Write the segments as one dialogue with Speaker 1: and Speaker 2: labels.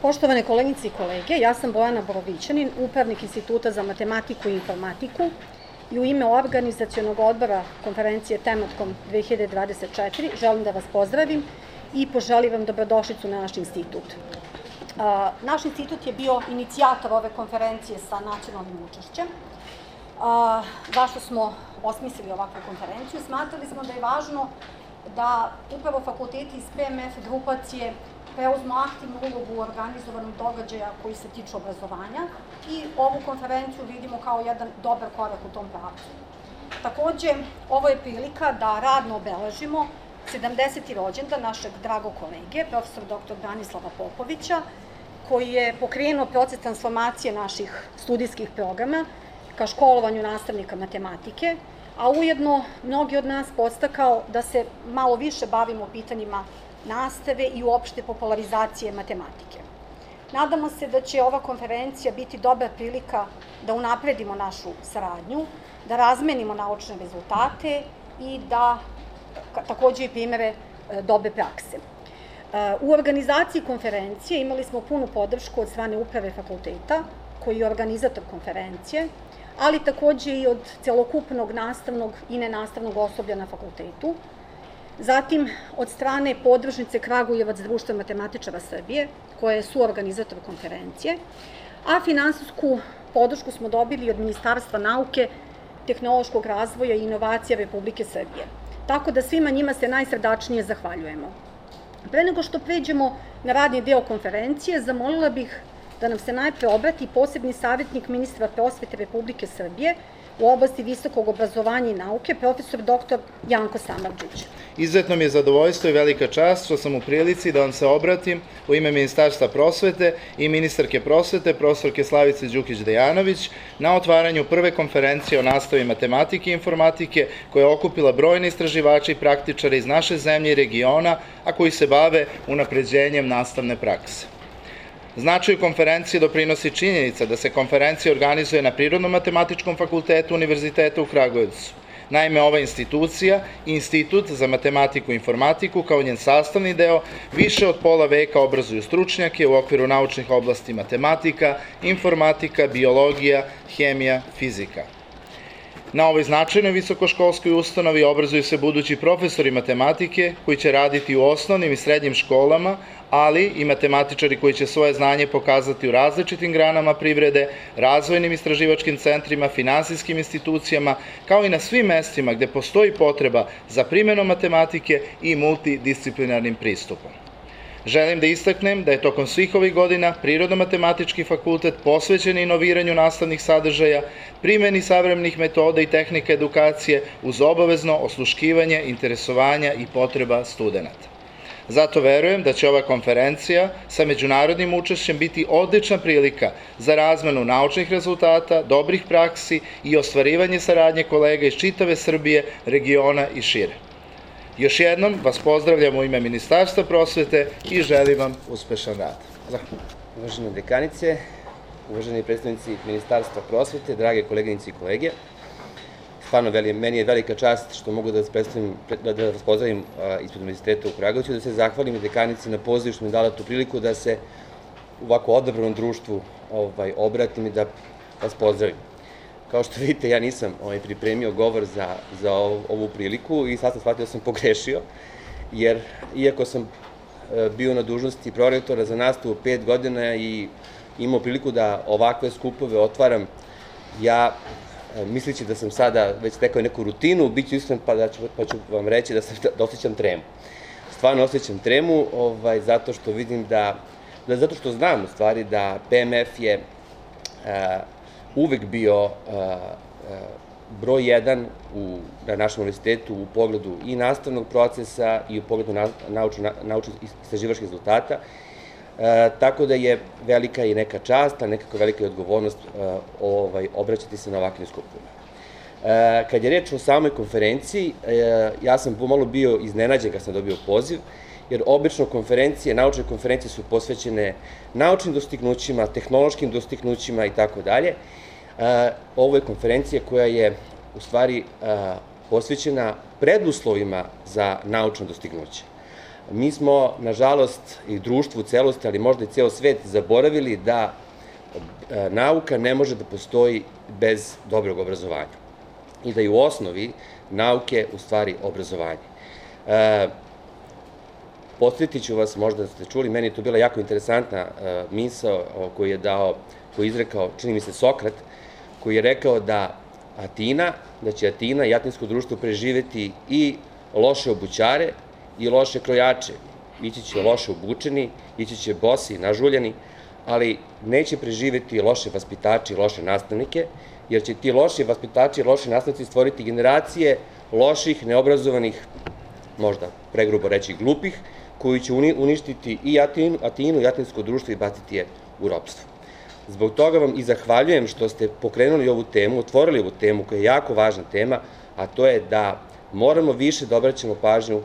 Speaker 1: Poštovane koleginice i kolege, ja sam Bojana Borovićanin, upravnik Instituta za matematiku i informatiku i u ime organizacionog odbora konferencije Tematkom 2024 želim da vas pozdravim i poželim vam dobrodošlicu na naš institut. Naš institut je bio inicijator ove konferencije sa nacionalnim učešćem. Zašto smo osmislili ovakvu konferenciju? Smatrali smo da je važno da upravo fakulteti iz PMF grupacije preuzmu aktivnu ulogu u organizovanom događaja koji se tiču obrazovanja i ovu konferenciju vidimo kao jedan dobar korak u tom pravcu. Takođe, ovo je prilika da radno obeležimo 70. rođendan našeg dragog kolege, profesor dr. Branislava Popovića, koji je pokrenuo proces transformacije naših studijskih programa ka školovanju nastavnika matematike, a ujedno mnogi od nas podstakao da se malo više bavimo pitanjima nastave i uopšte popularizacije matematike. Nadamo se da će ova konferencija biti dobra prilika da unapredimo našu saradnju, da razmenimo naučne rezultate i da takođe i primere dobre prakse. U organizaciji konferencije imali smo punu podršku od strane uprave fakulteta, koji je organizator konferencije, ali takođe i od celokupnog nastavnog i nenastavnog osoblja na fakultetu, zatim od strane podružnice Kragujevac Društva matematičara Srbije, koja je suorganizator konferencije, a finansijsku podršku smo dobili od Ministarstva nauke, tehnološkog razvoja i inovacija Republike Srbije. Tako da svima njima se najsrdačnije zahvaljujemo. Pre nego što pređemo na radni deo konferencije, zamolila bih da nam se najpre obrati posebni savjetnik ministra prosvete Republike Srbije u oblasti visokog obrazovanja i nauke, profesor dr. Janko Samardžić.
Speaker 2: Izuzetno mi je zadovoljstvo i velika čast što sam u prilici da vam se obratim u ime Ministarstva prosvete i ministarke prosvete, profesorke Slavice Đukić-Dejanović, na otvaranju prve konferencije o nastavi matematike i informatike, koja je okupila brojne istraživače i praktičare iz naše zemlje i regiona, a koji se bave unapređenjem nastavne prakse. Značaju konferencije doprinosi činjenica da se konferencija organizuje na Prirodno-matematičkom fakultetu Univerziteta u Kragujevcu. Naime, ova institucija, Institut za matematiku i informatiku, kao njen sastavni deo, više od pola veka obrazuju stručnjake u okviru naučnih oblasti matematika, informatika, biologija, hemija, fizika. Na ovoj značajnoj visokoškolskoj ustanovi obrazuju se budući profesori matematike koji će raditi u osnovnim i srednjim školama, ali i matematičari koji će svoje znanje pokazati u različitim granama privrede, razvojnim istraživačkim centrima, finansijskim institucijama, kao i na svim mestima gde postoji potreba za primenom matematike i multidisciplinarnim pristupom. Želim da istaknem da je tokom svih ovih godina Prirodno-matematički fakultet posvećen inoviranju nastavnih sadržaja, primeni savremenih metoda i tehnika edukacije uz obavezno osluškivanje interesovanja i potreba studenata. Zato verujem da će ova konferencija sa međunarodnim učešćem biti odlična prilika za razmenu naučnih rezultata, dobrih praksi i ostvarivanje saradnje kolega iz čitave Srbije, regiona i šire. Još jednom vas pozdravljam u ime Ministarstva prosvete i želim vam uspešan rad. Zahvaljujem.
Speaker 3: Uvažene dekanice, uvaženi predstavnici Ministarstva prosvete, drage koleginice i kolege, stvarno meni je velika čast što mogu da vas pozdravim ispred Univerziteta u Kragujevcu i da se zahvalim i dekanici na pozivu što mi je dala tu priliku da se u ovako odabranom društvu obratim i da vas pozdravim. Kao što vidite, ja nisam pripremio govor za ovu priliku i sad sam shvatio da sam pogrešio, jer iako sam bio na dužnosti prorektora za nastavu 5 godina i imao priliku da ovakve skupove otvaram, ja misleći da sam sada već stekao neku rutinu, bit ću iskren pa ću vam reći da osjećam tremu. Stvarno osjećam tremu zato što vidim zato što znam u stvari da PMF je uvek bio broj 1 na našem univerzitetu u pogledu i nastavnog procesa i u pogledu naučno-istraživačkih rezultata, tako da je velika i neka čast, a nekako velika i odgovornost obraćati se na ovakvim skupovima. Kad je reč o samoj konferenciji, ja sam pomalo bio iznenađen kad sam dobio poziv, jer obično naučne konferencije su posvećene naučnim dostignućima, tehnološkim dostignućima i tako dalje. Ovo je konferencija koja je u stvari posvećena preduslovima za naučno dostignuće. Mi smo, nažalost, i društvo u celosti, ali možda i ceo svet, zaboravili da nauka ne može da postoji bez dobrog obrazovanja i da je u osnovi nauke u stvari obrazovanje. Podsjetit ću vas, možda ste čuli, meni je to bila jako interesantna misao koju je izrekao, čini mi se, Sokrat, koji je rekao da će Atina i atinsko društvo preživeti i loše obućare i loše krojače. Ići će loše obučeni, ići će bosi, nažuljeni, ali neće preživeti loše vaspitače i loše nastavnike, jer će ti loši vaspitači i loši nastavnici stvoriti generacije loših, neobrazovanih, možda pregrubo reći glupih, koji će uništiti i Atinu i atinsko društvo i baciti je u ropstvo. Zbog toga vam i zahvaljujem što ste pokrenuli ovu temu, otvorili ovu temu koja je jako važna tema, a to je da moramo više da obraćamo pažnju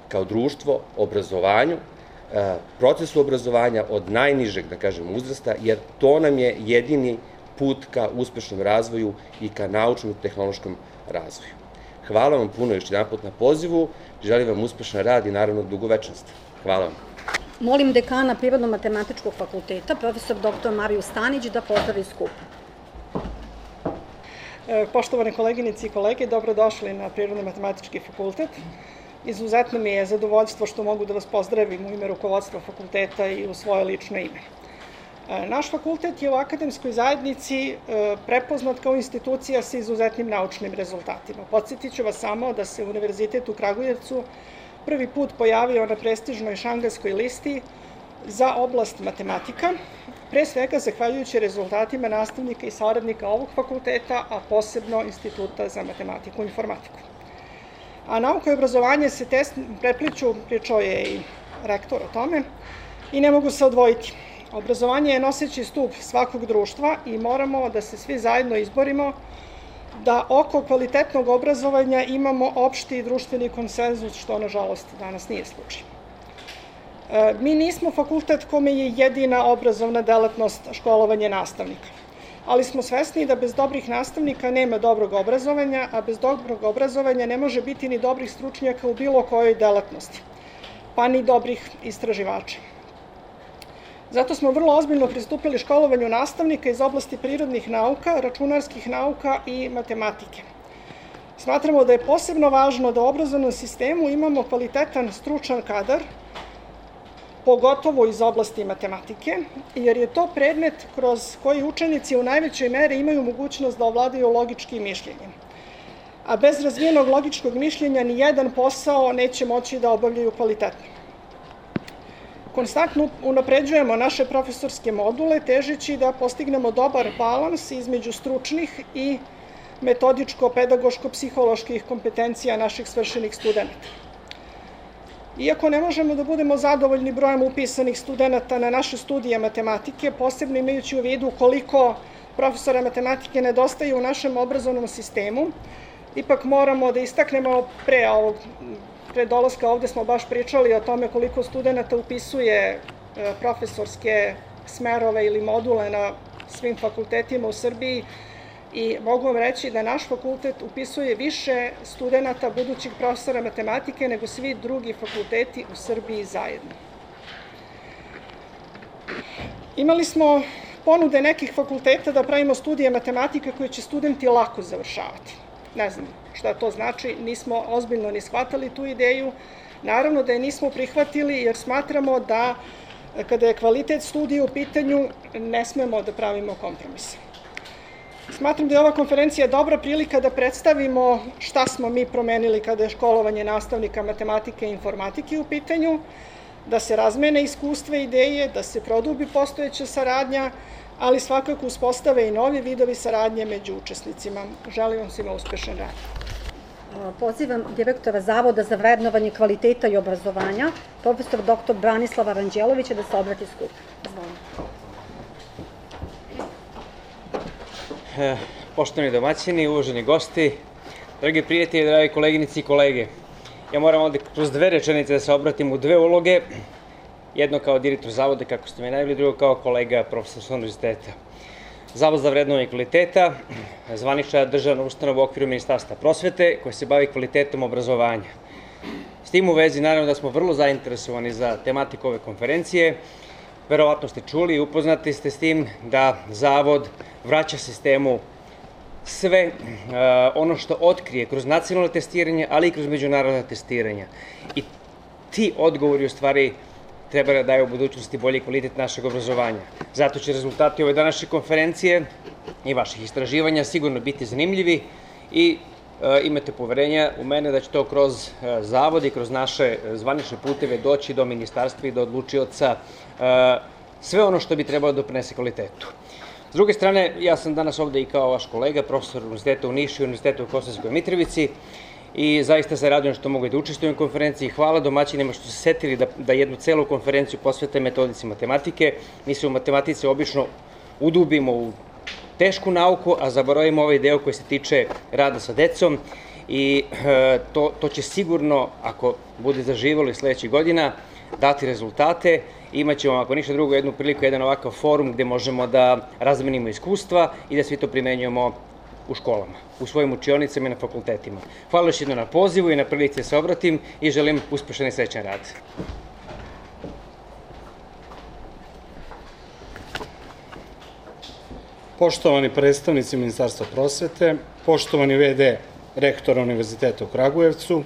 Speaker 3: kao društvo obrazovanju, procesu obrazovanja od najnižeg, da kažem, uzrasta, jer to nam je jedini put ka uspešnom razvoju i ka naučnom i tehnološkom razvoju. Hvala vam puno još jedanput na pozivu, želim vam uspešan rad i naravno dugovečnost. Hvala vam.
Speaker 1: Molim dekana Prirodno-matematičkog fakulteta, profesor dr. Mariju Stanić, da pozdravi skup.
Speaker 4: Poštovane koleginice i kolege, dobrodošli na Prirodno-matematički fakultet. Izuzetno mi je zadovoljstvo što mogu da vas pozdravim u ime rukovodstva fakulteta i u svoje lično ime. Naš fakultet je u akademskoj zajednici prepoznat kao institucija sa izuzetnim naučnim rezultatima. Podsjetit ću vas samo da se Univerzitet u Kragujevcu prvi put pojavio na prestižnoj šangajskoj listi za oblast matematika, pre svega zahvaljujući rezultatima nastavnika i saradnika ovog fakulteta, a posebno Instituta za matematiku i informatiku. A nauka i obrazovanje se prepliću, pričao je i rektor o tome, i ne mogu se odvojiti. Obrazovanje je noseći stup svakog društva i moramo da se svi zajedno izborimo da oko kvalitetnog obrazovanja imamo opšti društveni konsenzus, što nažalost danas nije slučaj. Mi nismo fakultet kome je jedina obrazovna delatnost školovanje nastavnika, ali smo svesni da bez dobrih nastavnika nema dobrog obrazovanja, a bez dobrog obrazovanja ne može biti ni dobrih stručnjaka u bilo kojoj delatnosti, pa ni dobrih istraživača. Zato smo vrlo ozbiljno pristupili školovanju nastavnika iz oblasti prirodnih nauka, računarskih nauka i matematike. Smatramo da je posebno važno da u obrazovnom sistemu imamo kvalitetan stručan kadar, pogotovo iz oblasti matematike, jer je to predmet kroz koji učenici u najvećoj meri imaju mogućnost da ovladaju logičkim mišljenjem. A bez razvijenog logičkog mišljenja ni jedan posao neće moći da obavljaju kvalitetno. Konstantno unapređujemo naše profesorske module, težeći da postignemo dobar balans između stručnih i metodičko-pedagoško-psiholoških kompetencija naših svršenih studenta. Iako ne možemo da budemo zadovoljni brojem upisanih studenta na naše studije matematike, posebno imajući u vidu koliko profesora matematike nedostaje u našem obrazovnom sistemu, ipak moramo da istaknemo pre dolaska ovde smo baš pričali o tome koliko studenta upisuje profesorske smerove ili module na svim fakultetima u Srbiji i mogu vam reći da naš fakultet upisuje više studenta budućih profesora matematike nego svi drugi fakulteti u Srbiji zajedno. Imali smo ponude nekih fakulteta da pravimo studije matematike koje će studenti lako završavati. Ne znam šta to znači, nismo ozbiljno ni shvatali tu ideju. Naravno da je nismo prihvatili jer smatramo da kada je kvalitet studija u pitanju ne smemo da pravimo kompromise. Smatram da je ova konferencija dobra prilika da predstavimo šta smo mi promenili kada je školovanje nastavnika matematike i informatike u pitanju, da se razmene iskustva i ideje, da se produbi postojeća saradnja, ali svakako uspostave i novi vidovi saradnje među učesnicima. Želim vam svima uspešan rad.
Speaker 1: Pozivam direktora Zavoda za vrednovanje kvaliteta i obrazovanja, profesor dr. Branislava Ranđelovića, da se obrati skupu.
Speaker 5: Poštovani domaćini, uvaženi gosti, dragi prijatelji, dragi koleginici i kolege, ja moram ovde kroz dve rečenice da se obratim u dve uloge, jedno kao direktor zavoda, kako ste mi najavili, drugo kao kolega profesor sa univerziteta. Zavod za vrednovanje kvaliteta, zvanična državna ustanova u okviru Ministarstva prosvete koja se bavi kvalitetom obrazovanja. tim u vezi, naravno da smo vrlo zainteresovani za tematiku ove konferencije. Verovatno ste čuli i upoznati ste s tim da Zavod vraća sistemu sve ono što otkrije kroz nacionalno testiranje, ali i kroz međunarodno testiranja. I ti odgovori u stvari treba da daju u budućnosti bolji kvalitet našeg obrazovanja. Zato će rezultati ove današnje konferencije i vaših istraživanja sigurno biti zanimljivi i imate poverenja u mene da će to kroz Zavod i kroz naše zvanične puteve doći do ministarstva i do odlučioca sve ono što bi trebalo da doprinese kvalitetu. S druge strane, ja sam danas ovde i kao vaš kolega, profesor Univerziteta u Nišu i Univerziteta u Kosovskoj Mitrovici i zaista se radujem što mogu da učestvujem u konferenciji. Hvala domaćinima što su se setili da jednu celu konferenciju posvete metodici matematike. Mi se u matematici obično udubimo u tešku nauku, a zaboravimo ovaj deo koji se tiče rada sa decom i to će sigurno, ako bude zaživalo i sledećih godina, dati rezultate. Imaćemo, ako ništa drugo, jednu priliku, jedan ovakav forum gde možemo da razmenimo iskustva i da svi to primenjujemo u školama, u svojim učionicama i na fakultetima. Hvala još jedno na pozivu i na prilici da se obratim i želim uspešan i srećan rad.
Speaker 6: Poštovani predstavnici Ministarstva prosvete, poštovani VD rektora Univerziteta u Kragujevcu,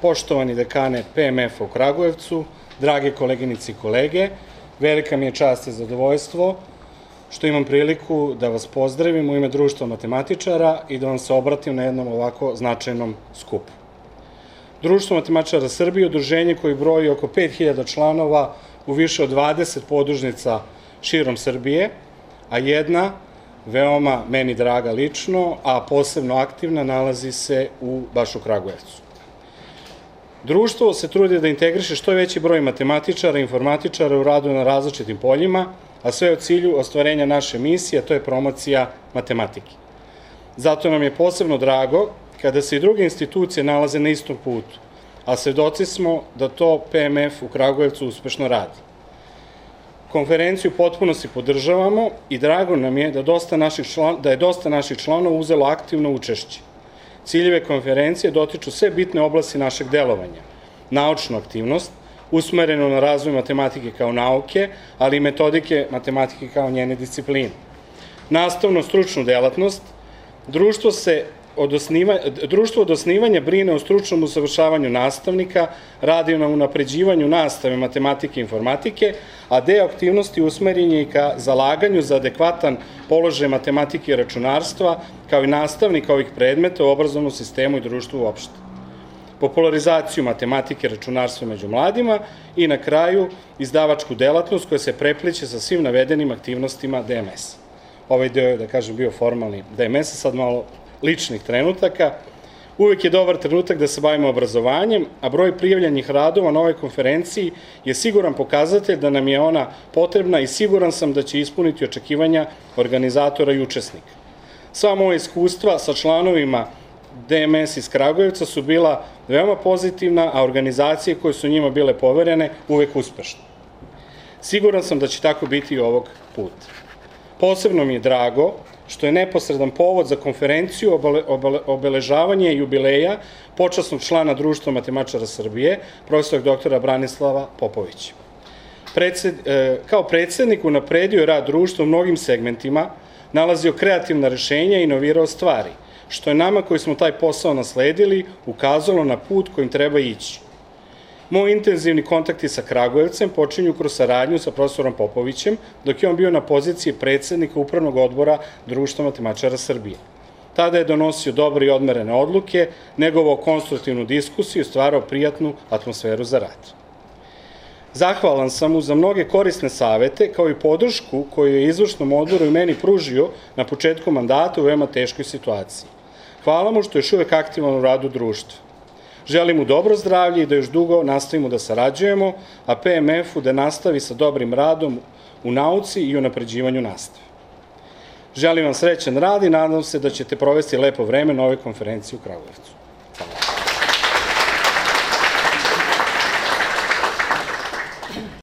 Speaker 6: poštovani dekane PMF-a u Kragujevcu, drage koleginice i kolege, velika mi je čast i zadovoljstvo što imam priliku da vas pozdravim u ime Društva matematičara i da vam se obratim na jednom ovako značajnom skupu. Društvo matematičara Srbije je udruženje koji broji oko 5000 članova u više od 20 podružnica širom Srbije, a jedna, veoma meni draga lično, a posebno aktivna, nalazi se baš u Kragujevcu. Društvo se trudi da integriše što veći broj matematičara i informatičara u radu na različitim poljima, a sve u cilju ostvarenja naše misije, a to je promocija matematike. Zato nam je posebno drago kada se i druge institucije nalaze na istom putu, a svedoci smo da to PMF u Kragujevcu uspešno radi. Konferenciju potpuno si podržavamo i drago nam je da je dosta naših članova uzelo aktivno učešće. Ciljeve konferencije dotiču sve bitne oblasti našeg delovanja, naučnu aktivnost, usmerenu na razvoj matematike kao nauke, ali i metodike matematike kao njene discipline. Nastavno stručnu delatnost, društvo od osnivanja brine o stručnom usavršavanju nastavnika, radi na unapređivanju nastave matematike i informatike, a deo aktivnosti usmeren je i ka zalaganju za adekvatan položaj matematike i računarstva, kao i nastavnika ovih predmeta u obrazovnom sistemu i društvu uopšte. Popularizaciju matematike i računarstva među mladima i na kraju izdavačku delatnost koja se prepliče sa svim navedenim aktivnostima DMS. Ovaj deo je, da kažem, bio formalni DMS-a, sad malo ličnih trenutaka. Uvek je dobar trenutak da se bavimo obrazovanjem, a broj prijavljenih radova na ovoj konferenciji je siguran pokazatelj da nam je ona potrebna i siguran sam da će ispuniti očekivanja organizatora i učesnika. Sva moja iskustva sa članovima DMS iz Kragujevca su bila veoma pozitivna, a organizacije koje su njima bile poverene uvek uspešne. Siguran sam da će tako biti i ovog puta. Posebno mi je drago što je neposredan povod za konferenciju obeležavanje jubileja počasnog člana Društva matematičara Srbije, profesora doktora Branislava Popovića. Kao predsednik unapredio je rad društva u mnogim segmentima, nalazio kreativna rešenja i inovirao stvari, što je nama koji smo taj posao nasledili ukazalo na put kojim treba ići. Moji intenzivni kontakti sa Kragujevcem počinju kroz saradnju sa profesorom Popovićem, dok je on bio na poziciji predsednika Upravnog odbora Društva matematičara Srbije. Tada je donosio dobre i odmerene odluke, negovao konstruktivnu diskusiju i stvarao prijatnu atmosferu za rad. Zahvalan sam mu za mnoge korisne savete, kao i podršku koju je izvršnom odboru i meni pružio na početku mandata u veoma teškoj situaciji. Hvala mu što je još uvek aktivan u radu društva. Želim mu dobro zdravlje i da još dugo nastavimo da sarađujemo, a PMF-u da nastavi sa dobrim radom u nauci i unapređivanju nastave. Želim vam srećan rad i nadam se da ćete provesti lepo vreme na ovoj konferenciji u Kragujevcu.